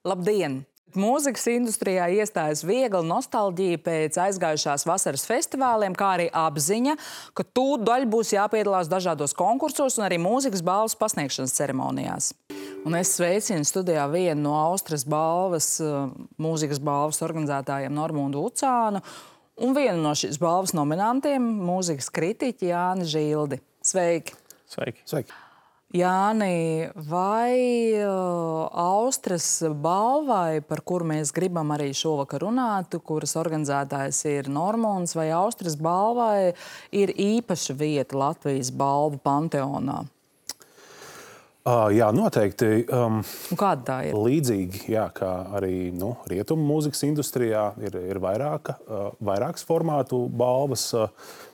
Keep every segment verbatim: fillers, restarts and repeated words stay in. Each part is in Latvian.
Labdien! Mūzikas industrijā iestājas viegla nostalģija pēc aizgājušās vasaras festivāliem, kā arī apziņa, ka tūdaļ būs jāpiedalās dažādos konkursos un arī mūzikas balvas pasniegšanas ceremonijās. Un es sveicinu studijā vienu no Austras balvas, mūzikas balvas organizētājiem Normundu Ucānu un vienu no šīs balvas nominantiem, mūzikas kritiķi Jāni Žildi. Sveiki! Sveiki! Sveiki! Jāni, vai uh, Austras balvai, par kuru mēs gribam arī šovakar runāt, kuras organizētājs ir Normunds, vai Austras balvai ir īpaša vieta Latvijas balvu panteonā? Uh, jā, noteikti. Um, Kāda tā ir? Līdzīgi, jā, kā arī nu, rietumu mūzikas industrijā ir, ir vairāka, uh, vairākas formātu balvas. Uh,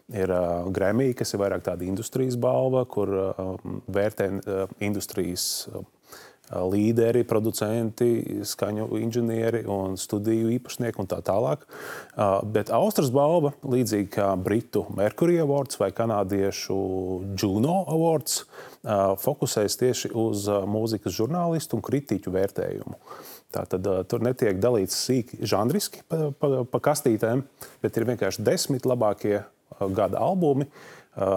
ir uh, Grammy, kas ir vairāk tāda industrijas balva, kur uh, vērtē uh, industrijas uh, līderi, producenti, skaņu inženieri un studiju īpašnieki un tā tālāk. Uh, bet Austras balva, līdzīgi kā Britu Mercury Awards vai kanādiešu Juno Awards, uh, fokusēs tieši uz uh, mūzikas žurnālistu un kritiķu vērtējumu. Tātad uh, tur netiek dalīts sīki žanriski pa, pa, pa kastītēm, bet ir vienkārši desmit labākie uh, gada albumi uh,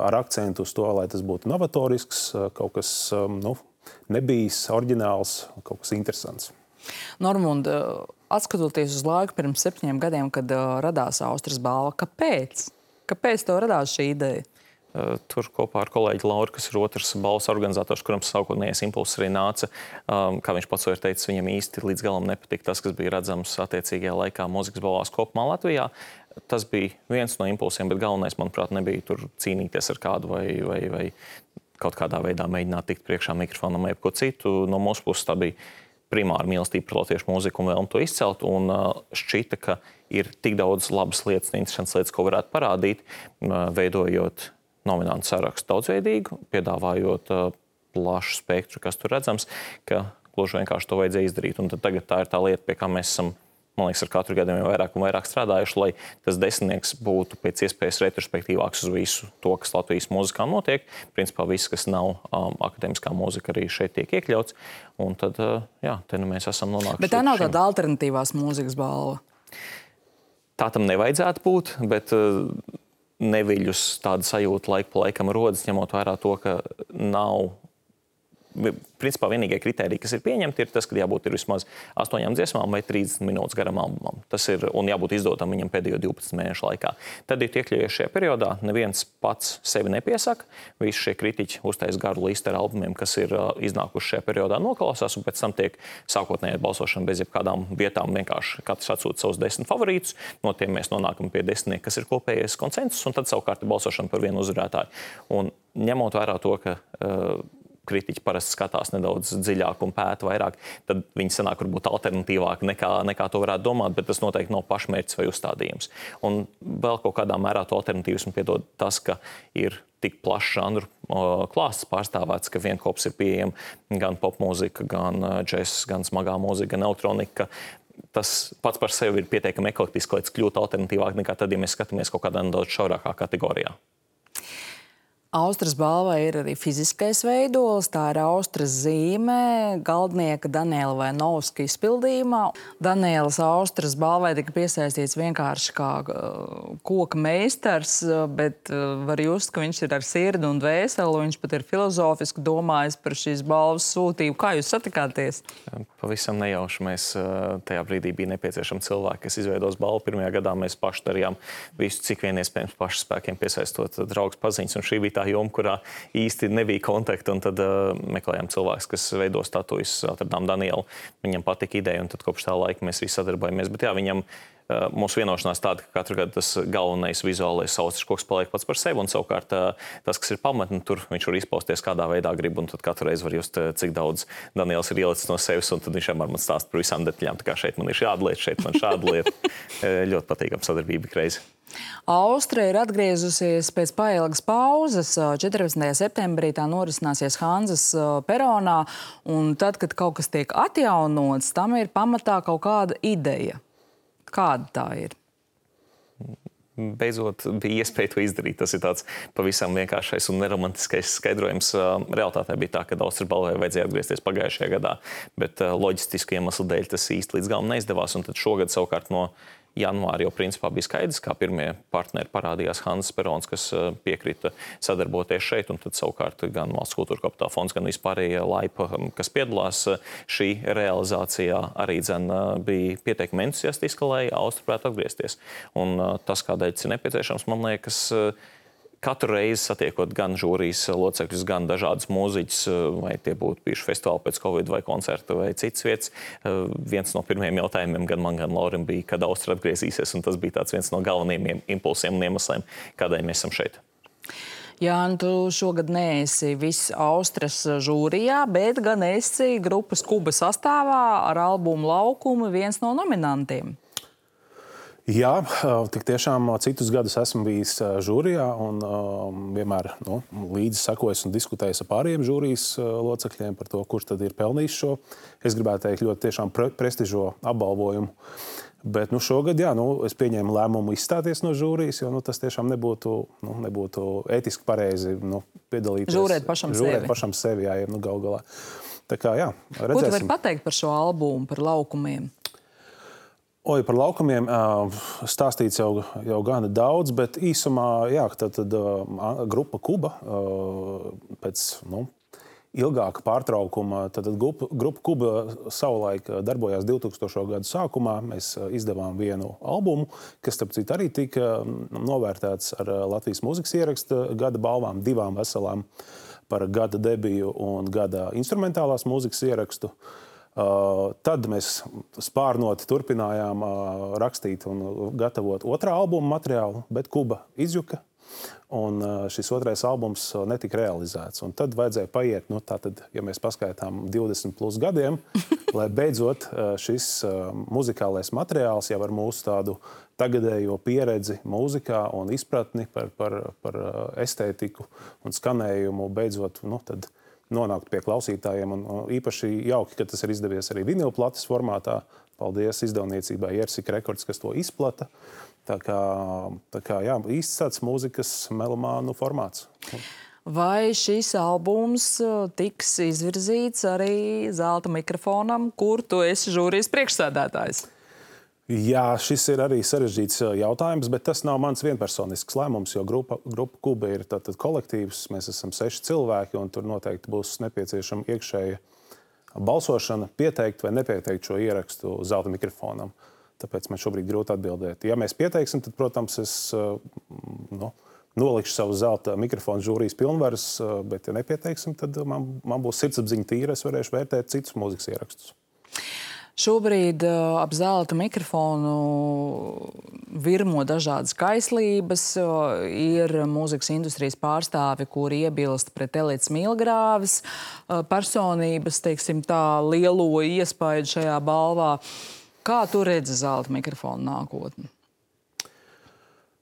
ar akcentu uz to, lai tas būtu novatorisks, uh, kaut kas, um, nu, nebijis oriģināls, kaut kas interesants. Normund, atskatoties uz laiku pirms septiņiem gadiem, kad uh, radās Austras balva, kāpēc? Kāpēc tev radās šī ideja? Tur kopā ar kolēģi Lauru, kas ir otrs balvas organizators, kuram sākotnējais impulss arī nāca, um, kā viņš pats ir teicis, viņam īsti līdz galam nepatika tas, kas bija redzams attiecīgajā laikā mūzikas balvās kopumā Latvijā. Tas bija viens no impulsiem, bet galvenais, manuprāt, nebija tur cīnīties ar kādu vai, vai, vai kaut kādā veidā mēģināt tikt priekšā mikrofonam vai ko citu. No mūsu puses tā bija primāra mīlestība par latviešu mūziku un vēlme to izcelt. Un uh, šķita, ka ir tik daudz labas lietas, interesantas lietas, ko varētu parādīt, uh, veidojot nominantu sarakstu daudzveidīgu, piedāvājot uh, plašu spektru, kas tur redzams, ka gluži vienkārši to vajadzēja izdarīt. Un tad tagad tā ir tā lieta, pie kā mēs esam, man liekas, ar katru gadu vairāk un vairāk strādājuši, lai tas desmitnieks būtu pēc iespējas retrospektīvāks uz visu to, kas Latvijas mūzikā notiek. Principā viss, kas nav um, akadēmiskā mūzika, arī šeit tiek iekļauts. Un tad, uh, jā, te nu mēs esam nonākuši. Bet tā nav tāda alternatīvās mūzikas balva? Tā tam nevajadzētu būt, bet uh, neviļus tāda sajūta laiku pa laikam rodas, ņemot vērā to, ka nav. Principā vienīgie kriteriji, kas ir pieņemti, ir tas, ka jābūt ir vismaz astoņām dziesmām vai trīsdesmit minūtes garam albumam. Tas ir, un jābūt izdotam viņam pēdējo divpadsmit mēnešu laikā. Tad ir iekļaujies šajā periodā, neviens pats sevi nepiesaka. Visi šie kritiķi uztais garu listu ar albumiem, kas ir uh, iznākuši šajā periodā, noklausās, un pēc tam tiek sākotnējā balsošana bez jebkādām vietām. Vienkārši katrs atsūta savus desmit favorītus, no tiem mēs nonākam pie desmitnieka, kas ir kopējais konsensus, un tad savukārt ir balsošana par vienu uzvarētāju. Un ņemot vērā to, ka uh, kritiķi parasti skatās nedaudz dziļāk un pēta vairāk, tad viņi sanāk varbūt alternatīvāk nekā, nekā to varētu domāt, bet tas noteikti nav pašmērķis vai uzstādījums. Un vēl kaut kādā mērā to alternatīvismu piedod tas, ka ir tik plašs žanru klāsts pārstāvēts, ka vienkops ir pieejama gan popmūzika, gan džess, gan smagā mūzika, gan elektronika. Tas pats par sevi ir pietiekami eklektiski, lai tas kļūtu alternatīvāk nekā tad, ja mēs skatāmies kaut kādā nedaudz šaurākā kategorijā. Austras balvai ir arī fiziskais veidols, tā ir Austras zīme, galdnieka Daniela Vainovska izpildījumā. Danielas Austras balvai tika piesaistīts vienkārši kā uh, koka meistars, bet uh, var just, ka viņš ir ar sirdi un dvēseli, viņš pat ir filozofiski domājis par šīs balvas sūtību. Kā jūs satikāties? Pavisam nejauši. Mēs uh, tajā brīdī bija nepieciešami cilvēki, kas izveidos balvu. Pirmajā gadā mēs paši darījām visu, cik vien iespējams pašu spēkiem piesaistot draugus paziņas, un šī bija tā joma, kurā īsti nebija kontakta, un tad uh, meklējām cilvēkus, kas veido statujas, atradām Danielu. Viņam patika ideja, un tad kopš tā laika mēs visi sadarbojamies. Bet jā, viņam uh, mūsu vienošanās tāda, ka katru gadu tas galvenais vizuālais Austras koks paliek pats par sevi, un savukārt uh, tas, kas ir pamatni, tur viņš var izpausties kādā veidā grib, un tad katru reizi var just, uh, cik daudz Daniels ir ielicis no sevis, un tad viņš vienmēr man stāsta par visām detaļām. Tā kā šeit man ir šāda lieta, šeit man šāda lieta. Ļoti patīkama sadarbība reizi. Austra ir atgriezusies pēc pailgas pauzes. četrpadsmitajā septembrī tā norisināsies Hanzas peronā, un tad, kad kaut kas tiek atjaunots, tam ir pamatā kaut kāda ideja. Kāda tā ir? beidzot bija iespēja to izdarīt. Tas ir tāds pavisam vienkāršais un neromantiskais skaidrojums. Realitātē bija tā, ka Austrijas balvai vajadzēja atgriezties pagājušajā gadā, bet loģistisku iemeslu dēļ tas īsti līdz galam neizdevās. Un tad šogad savukārt no janvāra jau principā bija skaidrs, kā pirmie partneri parādījās Hanzas Perons, kas piekrita sadarboties šeit, un tad savukārt gan Valsts kultūra kapitāla fonds, gan vispārējie laipa, kas piedalās šī realizācijā, arī dzen bija pieteikumi entusiastiski, lai Austra varētu atgriezties. Un tas, kādēļ tas ir nepieciešams, man liekas, katru reizi satiekot gan žūrijas locekļus, gan dažādus mūziķus, vai tie būtu bijuši festivāli pēc Covid vai koncertu vai citas vietas, viens no pirmajiem jautājumiem gan man, gan Laurim bija, kad Austra atgriezīsies, un tas bija tāds viens no galvenajiem impulsiem un iemesliem, kādēļ mēs esam šeit. Jāni, tu šogad neesi viss Austras žūrijā, bet gan esi grupas Kuba sastāvā ar albumu Laukumi viens no nominantiem. Jā, tik tiešām citus gadus esmu bijis žūrijā un um, vienmēr nu, līdzi sekojis un diskutējis ar pārējiem žūrijas locekļiem par to, kurš tad ir pelnījis šo, es gribētu teikt, ļoti tiešām pre prestižo apbalvojumu. Bet nu, šogad, jā, nu, es pieņēmu lēmumu izstāties no žūrijas, jo nu, tas tiešām nebūtu, nu, nebūtu ētiski pareizi nu, piedalīties. Žūrēt pašam žūrēt sevi. pašam sevi, jā, nu, gal galā. Tā kā, jā, redzēsim. Ko tu vari pateikt par šo albumu, par Laukumiem? Oi, par Laukumiem stāstīts jau, jau gana daudz, bet īsumā, jā, tad, tad grupa Kuba pēc, nu, ilgāka pārtraukuma, tad grupa, grupa Kuba savulaik darbojās divtūkstošo gadu sākumā. Mēs izdevām vienu albumu, kas, starp citu, arī tika novērtēts ar Latvijas mūzikas ieraksta gada balvām, divām veselām par gada debiju un gada instrumentālās mūzikas ierakstu. Uh, tad mēs spārnoti turpinājām uh, rakstīt un gatavot otrā albuma materiālu, bet Kuba izjuka, un uh, šis otrais albums uh, netika realizēts. Un tad vajadzēja paiet, nu tātad, ja mēs paskaitām divdesmit plus gadiem, lai beidzot uh, šis uh, muzikālais materiāls jau ar mūsu tādu tagadējo pieredzi mūzikā un izpratni par, par, par uh, estētiku un skanējumu beidzot, nu tad nonākt pie klausītājiem. Un īpaši jauki, ka tas ir izdevies arī vinilplates formātā. Paldies izdevniecībai Jersika Records, kas to izplata. Tā kā, tā kā jā, īsts tāds mūzikas melomānu formāts. Vai šis albums tiks izvirzīts arī zelta mikrofonam, kur tu esi žūrijas priekšsēdētājs? Jā, šis ir arī sarežģīts jautājums, bet tas nav mans vienpersonisks lēmums, jo grupa, grupa Kuba ir tātad kolektīvs, mēs esam seši cilvēki, un tur noteikti būs nepieciešama iekšēja balsošana, pieteikt vai nepieteikt šo ierakstu zelta mikrofonam. Tāpēc man šobrīd grūti atbildēt. Ja mēs pieteiksim, tad, protams, es nu, nolikšu savu zelta mikrofonu žūrijas pilnvaras, bet ja nepieteiksim, tad man, man būs sirdsapziņa tīra, es varēšu vērtēt citus mūzikas ierakstus. Šobrīd uh, ap zelta mikrofonu virmo dažādas kaislības. Uh, ir mūzikas industrijas pārstāvi, kuri iebilst pret Elites Milgrāves uh, personības, teiksim tā, lielo iespaidu šajā balvā. Kā tu redzi zelta mikrofonu nākotni?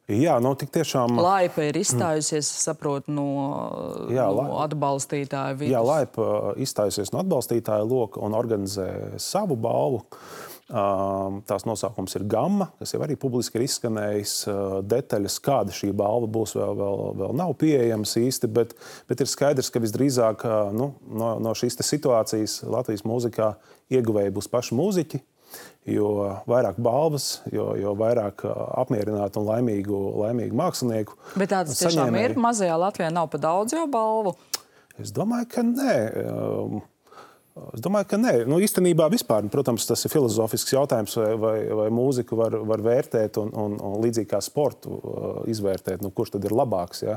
Jā, nu, tik tiešām... Laipa ir izstājusies, mm. saprotu, no, jā, no atbalstītāja vidus. Jā, Laipa izstājusies no atbalstītāja loka un organizē savu balvu. Tās nosaukums ir Gamma, kas jau arī publiski ir izskanējis. Detaļas, kāda šī balva būs, vēl, vēl, vēl nav pieejams īsti, bet, bet ir skaidrs, ka visdrīzāk nu, no, no šīs situācijas Latvijas mūzikā ieguvēji būs paši mūziķi. Jo vairāk balvas, jo, jo vairāk apmierinātu un laimīgu, laimīgu mākslinieku. Bet tāds tiešām ir? Mazajā Latvijā nav pa daudz jau balvu? Es domāju, ka nē. Es domāju, ka nē. Nu, īstenībā vispār, protams, tas ir filozofisks jautājums, vai, vai, vai mūziku var, var vērtēt un, un, un līdzīgi kā sportu izvērtēt, nu, kurš tad ir labāks. Ja?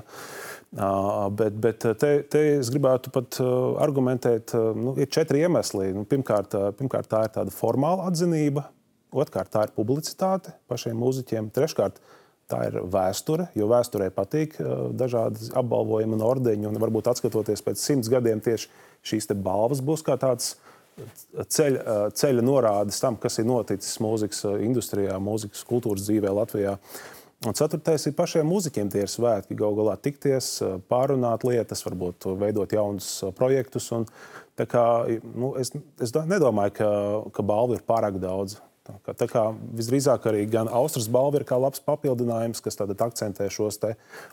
Uh, bet bet te, te es gribētu pat uh, argumentēt, uh, nu, ir četri iemesli. Nu, pirmkārt, uh, pirmkārt, tā ir tāda formāla atzinība, otrkārt, tā ir publicitāte pašiem mūziķiem, treškārt, tā ir vēsture, jo vēsturē patīk uh, dažādi apbalvojumi un ordeņi, un varbūt atskatoties pēc simts gadiem tieši šīs te balvas būs kā tāds ceļa, uh, ceļa norādes tam, kas ir noticis mūzikas industrijā, mūzikas kultūras dzīvē Latvijā. Un ceturtais ir pašiem mūziķiem tie ir svētki, gal galā tikties, pārunāt lietas, varbūt veidot jaunus projektus. Un, tā kā, nu, es, es nedomāju, ka, ka balvu ir pārāk daudz. Tā kā, tā kā visdrīzāk arī gan Austrijas balva ir kā labs papildinājums, kas tad akcentē šos te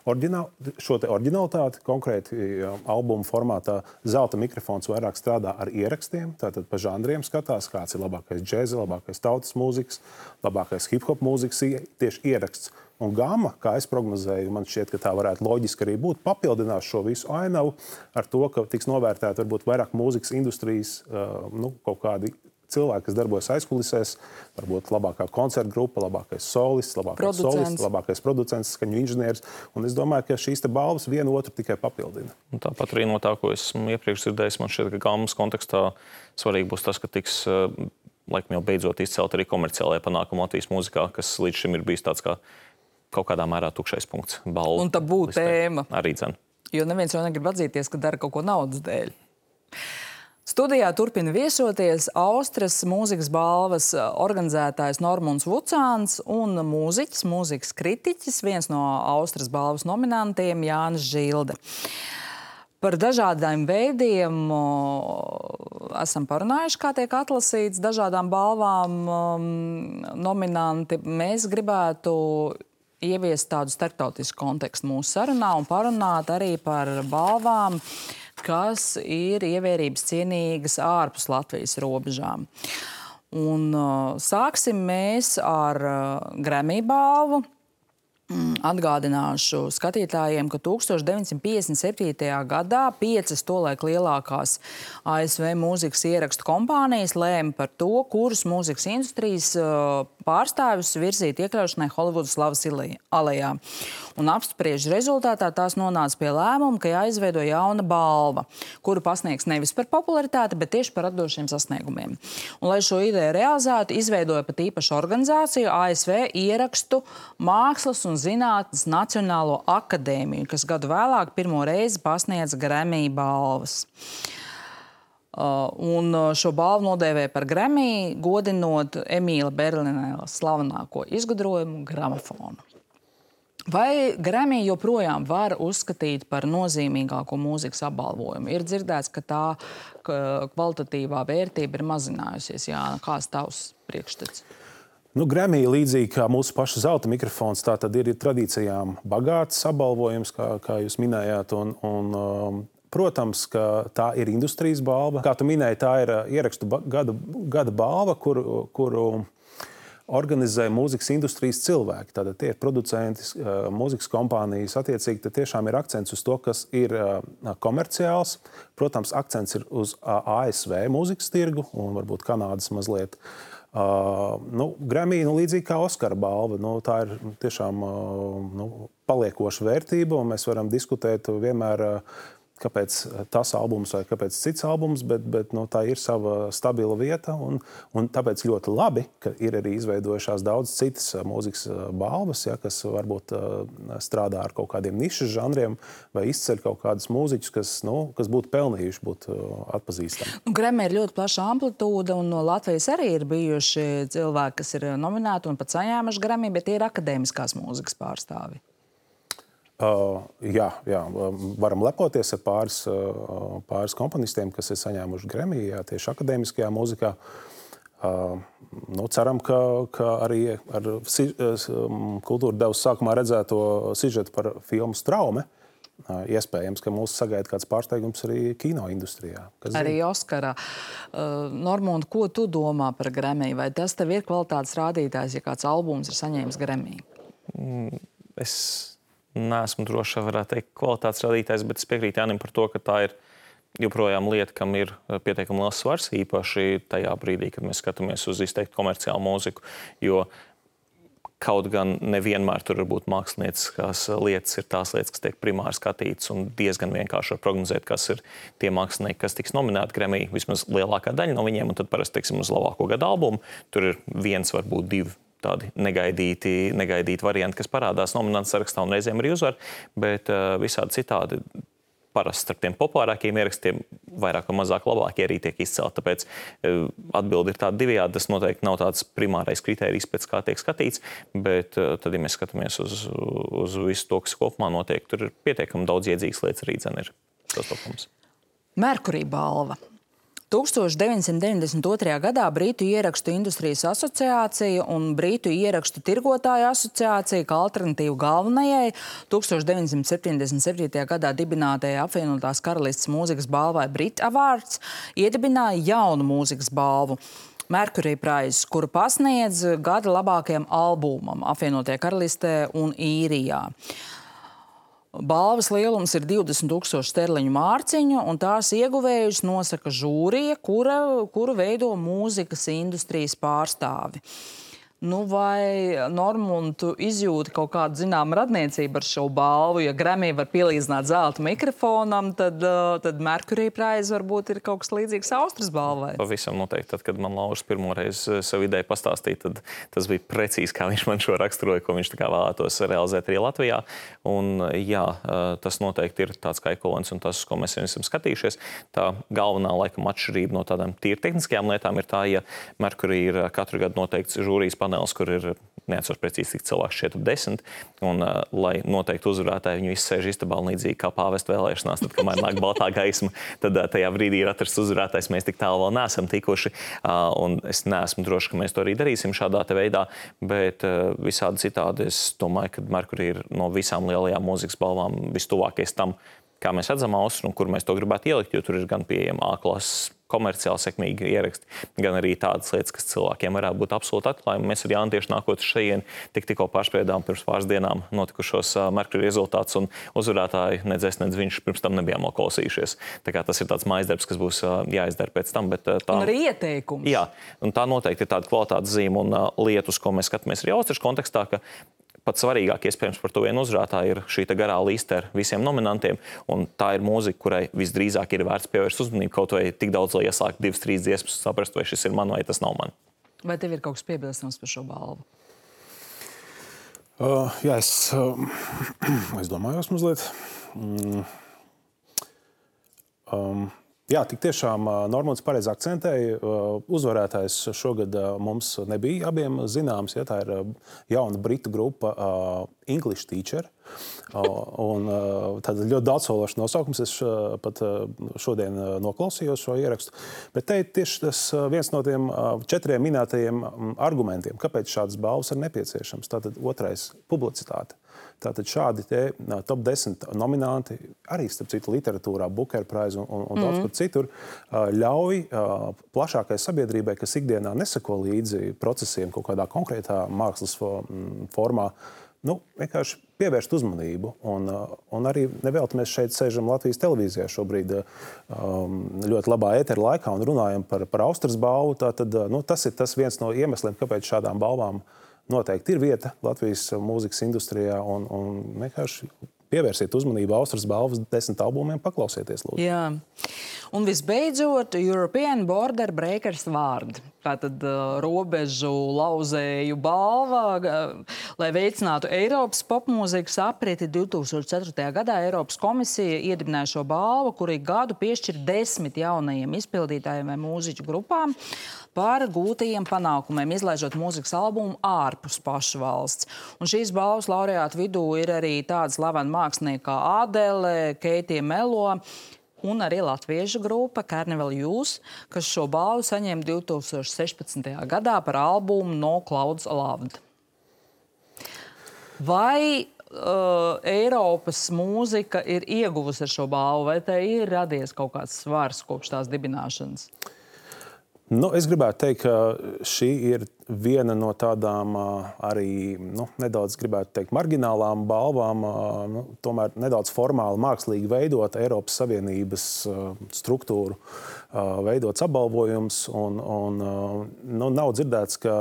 oriģinal, šo te oriģinalitāti. Konkrēti albuma formātā Zelta mikrofons vairāk strādā ar ierakstiem, tātad pa žanriem skatās, kāds ir labākais džēza, labākais tautas mūzikas, labākais hip-hop mūzikas, tieši ieraksts. Un Gamma, kā es prognozēju, man šķiet, ka tā varētu loģiski arī būt, papildinās šo visu ainavu ar to, ka tiks novērtēta varbūt vairāk mūzikas industrijas, nu, kaut kādi cilvēki, kas darbojas aizkulisēs, varbūt labākā koncerta grupa, labākais solists, labākais solists, labākais producents, skaņu inženieris. Un es domāju, ka šīs te balvas vienu otru tikai papildina. Un tāpat arī no tā, ko esmu iepriekš dzirdējis, man šķiet, ka Gammas kontekstā svarīgi būs tas, ka tiks laikam jau beidzot izcelt arī komerciālajie panākumi Latvijas mūzikā, kas līdz šim ir bijis tāds kā kaut kādā mērā tukšais punkts. Balvu un tabū tēma. Arī dzen. Jo neviens jau negrib atzīties, ka dara kaut ko naudas dēļ. Studijā turpina viesoties Austrijas mūzikas balvas organizētājs Normunds Vucāns un mūziķis, mūzikas kritiķis, viens no Austrijas balvas nominantiem Jānis Žilde. Par dažādiem veidiem esam parunājuši, kā tiek atlasīts dažādām balvām nominanti. Mēs gribētu ieviest tādu starptautisku kontekstu mūsu sarunā un parunāt arī par balvām, kas ir ievērības cienīgas ārpus Latvijas robežām. Un uh, sāksim mēs ar uh, Grammy balvu. Atgādināšu skatītājiem, ka tūkstoš deviņsimt piecdesmit septītajā gadā piecas tolaik lielākās A S V mūzikas ierakstu kompānijas lēma par to, kurus mūzikas industrijas pārstāvjus virzīt iekļaušanai Holivudas slavas alejā. Un apspriežu rezultātā tās nonāca pie lēmuma, ka jāizveido jauna balva, kuru pasniegs nevis par popularitāti, bet tieši par radošiem sasniegumiem. Un, lai šo ideju realizētu, izveidoja pat īpašu organizāciju A S V ierakstu mākslas un zinātnes Nacionālo akadēmiju, kas gadu vēlāk pirmo reizi pasniedz Grammy balvas. Uh, un šo balvu nodēvēja par Grammy, godinot Emīla Berlinēla slavenāko izgudrojumu gramofonu. Vai Grammy joprojām var uzskatīt par nozīmīgāko mūzikas apbalvojumu? Ir dzirdēts, ka tā kvalitatīvā vērtība ir mazinājusies. Jā, kāds tavs priekšstats? Nu, Grammy, līdzīgi kā mūsu paša zelta mikrofons, tā tad ir tradīcijām bagāts apbalvojums, kā, kā jūs minējāt. Un, un, um, protams, ka tā ir industrijas balva. Kā tu minēji, tā ir ierakstu gada, gada balva, kuru, kuru organizē mūzikas industrijas cilvēki. Tātad tie ir producenti, mūzikas kompānijas. Attiecīgi, tad tiešām ir akcents uz to, kas ir komerciāls. Protams, akcents ir uz A S V mūzikas tirgu un varbūt Kanādas mazliet. Uh, nu, Grammy, nu, līdzīgi kā Oskara balva, nu, tā ir tiešām uh, nu, paliekoša vērtība, un mēs varam diskutēt vienmēr, uh, kāpēc tas albums vai kāpēc cits albums, bet, bet nu, tā ir sava stabila vieta, un, un tāpēc ļoti labi, ka ir arī izveidojušās daudz citas mūzikas balvas, ja, kas varbūt uh, strādā ar kaut kādiem nišas žanriem vai izceļ kaut kādus mūziķus, kas, nu, kas būtu pelnījuši būt uh, atpazīstami. Grammy ir ļoti plaša amplitūda, un no Latvijas arī ir bijuši cilvēki, kas ir nominēti un pat saņēmuši Grammy, bet tie ir akadēmiskās mūzikas pārstāvi. Uh, jā, jā, varam lepoties ar pāris, uh, pāris komponistiem, kas ir saņēmuši Grammy, jā, tieši akadēmiskajā mūzikā. Uh, nu, ceram, ka, ka arī ar si, um, kultūra devas sākumā redzēto sižetu par filmu Straume, uh, iespējams, ka mūs sagaida kāds pārsteigums arī kino industrijā. Arī Oskarā. Uh, Normund, ko tu domā par Grammy? Vai tas tev ir kvalitātes rādītājs, ja kāds albums ir saņēmis Grammy? Mm, es... Neesmu droši, varētu teikt, kvalitātes radītājs, bet es piekrītu Jānim par to, ka tā ir joprojām lieta, kam ir pietiekami liels svars, īpaši tajā brīdī, kad mēs skatāmies uz izteikti komerciālu mūziku, jo kaut gan nevienmēr tur var būt mākslinieckās lietas, ir tās lietas, kas tiek primāri skatītas, un diezgan vienkārši var prognozēt, kas ir tie mākslinieki, kas tiks nominēti Grammy, vismaz lielākā daļa no viņiem, un tad parasti, teiksim, uz labāko gada albumu, tur ir viens, varbūt divi tādi negaidīti, negaidīti varianti, kas parādās nominantu sarakstā un reizēm arī uzvar, bet uh, visādi citādi parasti starp tiem populārākiem ierakstiem vairāk vai mazāk labākie arī tiek izcelt. Tāpēc uh, atbildi ir tāda divējādi. Tas noteikti nav tāds primārais kritērijs, pēc kā tiek skatīts, bet uh, tad, ja mēs skatāmies uz, uz visu to, kas kopumā notiek, tur ir pietiekami daudz iedzīgas lietas arī dzen ir sastopams. Merkurī balva. tūkstoš deviņsimt deviņdesmit otrajā gadā Britu ierakstu industrijas asociācija un Britu ierakstu tirgotāju asociācija kā alternatīvu galvenajai tūkstoš deviņsimt septiņdesmit septītajā gadā dibinātajai apvienotās karalistes mūzikas balvai Brit Awards iedibināja jaunu mūzikas balvu Mercury Prize, kuru pasniedz gada labākajam albumam apvienotajā karalistē un Īrijā. Balvas lielums ir divdesmit tūkstoši sterliņu mārciņu, un tās ieguvējus nosaka žūrija, kura, kuru veido mūzikas industrijas pārstāvi. Nu, vai, Normund, tu izjūti kaut kādu zinām radniecību ar šo balvu? Ja Grammy var pielīdzināt zelta mikrofonam, tad, tad Mercury Prize varbūt ir kaut kas līdzīgs Austras balvai. Pavisam noteikti. Tad, kad man Lauris pirmoreiz savu ideju pastāstīja, tad tas bija precīzi, kā viņš man šo raksturoja, ko viņš tā kā vēlētos realizēt arī Latvijā. Un jā, tas noteikti ir tāds kā ekvivalents un tas, ko mēs esam skatījušies. Tā galvenā laikam atšķirība no tādām tīri tehniskajām lietām ir tā, ja Mercury ir katru gadu noteikts žūrijas panels, kur ir neatceros precīzi, cik cilvēks šķiet ap desmit, un uh, lai noteikti uzvarētāji viņu izsēž istabā līdzīgi kā pāvesta vēlēšanās, tad, kamēr nāk baltā gaisma, tad uh, tajā brīdī ir atrasts uzvarētājs, mēs tik tālu vēl neesam tikuši, uh, un es neesmu droši, ka mēs to arī darīsim šādā te veidā, bet uh, visādi citādi es domāju, ka Mercury ir no visām lielajām mūzikas balvām vistuvākais tam, kā mēs redzam Austru un kur mēs to gribētu ielikt, jo tur ir gan pieejama A-klases komerciāli sekmīgi ieraksti, gan arī tādas lietas, kas cilvēkiem varētu būt absolūti atklājumi. Mēs ar Jānu tieši nākot šeit tik tikko pārspriedām pirms pāris dienām notikušos Mercury rezultātus, un uzvarētāji nedz es, nedz viņš pirms tam nebijām noklausījušies. Tā kā tas ir tāds mājasdarbs, kas būs jāizdara pēc tam. Bet tā, un arī ieteikums. Jā, un tā noteikti ir tāda kvalitātes zīme un uh, lietus, ko mēs skatāmies arī Austrijas kontekstā, ka pats svarīgāk, iespējams, par to vienu uzvarētāju ir šī garā liste ar visiem nominantiem, un tā ir mūzika, kurai visdrīzāk ir vērts pievērst uzmanību, kaut vai tik daudz, lai iesākt divas, trīs dziesmas, saprast, vai šis ir man, vai tas nav man. Vai tev ir kaut kas piebilstams par šo balvu? Uh, jā, es, uh, es domājos mazliet. Mm. Um. Jā, tik tiešām Normunds pareizi akcentēja. Uzvarētājs šogad mums nebija abiem zināms. Ja, tā ir jauna britu grupa uh, English Teacher. Uh, un, uh, tad ļoti daudzsološs nosaukums. Es uh, pat uh, šodien uh, noklausījos šo ierakstu. Bet te ir tieši tas uh, viens no tiem uh, četriem minētajiem um, argumentiem, kāpēc šādas balvas ir nepieciešams. Tātad otrais - publicitāte. Tātad šādi te top desmit nominanti, arī starp citu literatūrā, Booker Prize un, un, un daudz kur citur, ļauj plašākai sabiedrībai, kas ikdienā nesako līdzi procesiem kaut kādā konkrētā mākslas formā, nu, vienkārši pievērst uzmanību. Un, un arī nevēlti mēs šeit sēžam Latvijas televīzijā šobrīd um, ļoti labā ētera laikā un runājam par, par Austras balvu. Tātad, nu, tas ir tas viens no iemesliem, kāpēc šādām balvām noteikti ir vieta Latvijas mūzikas industrijā, un, un vienkārši pievērsiet uzmanību Austras balvas desmit albumiem, paklausieties, lūdzu. Jā. Un visbeidzot, European Border Breakers vārdi. Tātad uh, robežu lauzēju balva, uh, lai veicinātu Eiropas popmūzikas apriti divtūkstoš ceturtajā gadā Eiropas komisija iedibināja šo balvu, kuri gadu piešķir desmit jaunajiem izpildītājiem vai mūziķu grupām par gūtajiem panākumiem, izlaižot mūzikas albumu ārpus pašu valsts. Un šīs balvas laureātu vidū ir arī tāda slavena mākslinieka kā Adele, Keitija Melo un arī latviešu grupa Carnival Youth, kas šo balvu saņēma divtūkstoš sešpadsmitajā gadā par albumu No Clouds Loved. Vai uh, Eiropas mūzika ir ieguvusi ar šo balvu, vai tai ir radies kaut kāds svars kopš tās dibināšanas? Nu, es gribētu teikt, ka šī ir viena no tādām arī nu, nedaudz, gribētu teikt, marginālām balvām, nu, tomēr nedaudz formāli, mākslīgi veidot Eiropas Savienības struktūru, veidots apbalvojums. Un, un, nu, nav dzirdēts, ka,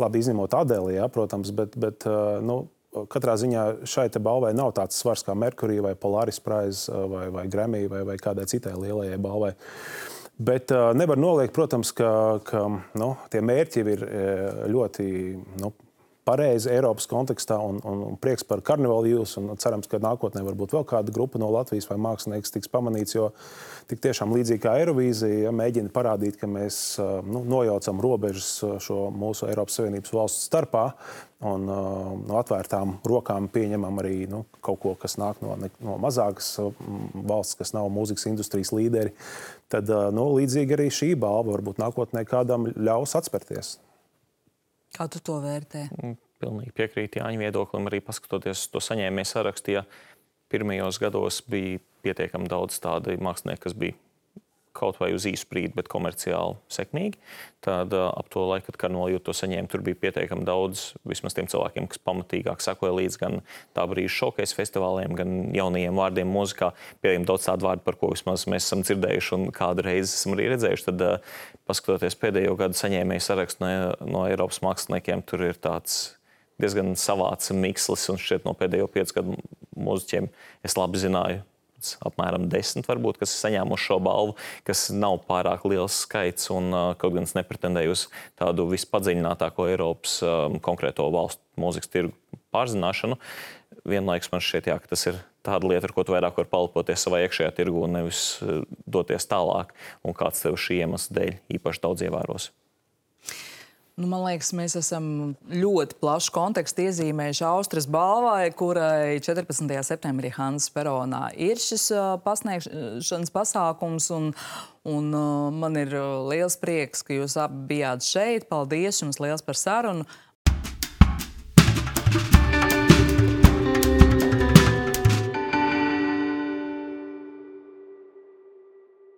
labi izņemot Adeli, ja, protams, bet, bet nu, katrā ziņā šai te balvai nav tāds svars kā Mercury vai Polaris Prize vai, vai Grammy vai, vai kādai citai lielajai balvai. Bet uh, nevar noliegt, protams, ka, ka nu, tie mērķi ir ļoti nu, pareizi Eiropas kontekstā un, un, un prieks par Carnival Youth. Un cerams, ka nākotnē varbūt vēl kāda grupa no Latvijas vai mākslinieks tiks pamanīts, jo tik tiešām līdzīgi kā Eirovīzija ja, mēģina parādīt, ka mēs nu, nojaucam robežas šo mūsu Eiropas Savienības valstu starpā un no atvērtām rokām pieņemam arī nu, kaut ko, kas nāk no, no mazākas valsts, kas nav mūzikas industrijas līderi. Tad nu, līdzīgi arī šī balva varbūt nākotnē kādam ļaus atspērties. Kā tu to vērtē? Pilnīgi piekrīt Jāņa viedoklim, arī paskatoties to saņēmēju sarakstu, ja pirmajos gados bija pietiekami daudz tādi mākslinieki, kas bija kaut vai uz īsu brīdi, bet komerciāli sekmīgi. Tad ap to laiku, kad Carnival Youth to saņēma, tur bija pietiekami daudz, vismaz tiem cilvēkiem, kas pamatīgāk sekoja līdz gan tā brīža showcase festivāliem, gan jaunajiem vārdiem mūzikā. Pietiekami daudz tādu vārdu, par ko vismaz mēs esam dzirdējuši un kādu reizi esam arī redzējuši. Tad, paskatoties pēdējo gadu saņēmēju sarakstu no, no Eiropas māksliniekiem, tur ir tāds diezgan savāds mikslis, un šķiet no pēdējo piecu gadu mūziķiem es labi zināju, apmēram desmit, varbūt, kas ir saņēmuši šo balvu, kas nav pārāk liels skaits, un uh, kaut gan es nepretendēju uz tādu vispadziļinātāko Eiropas um, konkrēto valstu mūzikas tirgu pārzināšanu. Vienlaikus man šķiet, jā, ka tas ir tāda lieta, ar ko tu vairāk var palpoties savā iekšējā tirgu un nevis uh, doties tālāk, un kāds tev šī iemesla dēļ īpaši daudz ievēros. Nu, man liekas, mēs esam ļoti plašu kontekstu iezīmējuši Austras balvai, kurai četrpadsmitajā septembrī Hanzas peronā ir šis pasniegšanas pasākums. Un, un man ir liels prieks, ka jūs abi bijāt šeit. Paldies jums liels par sarunu.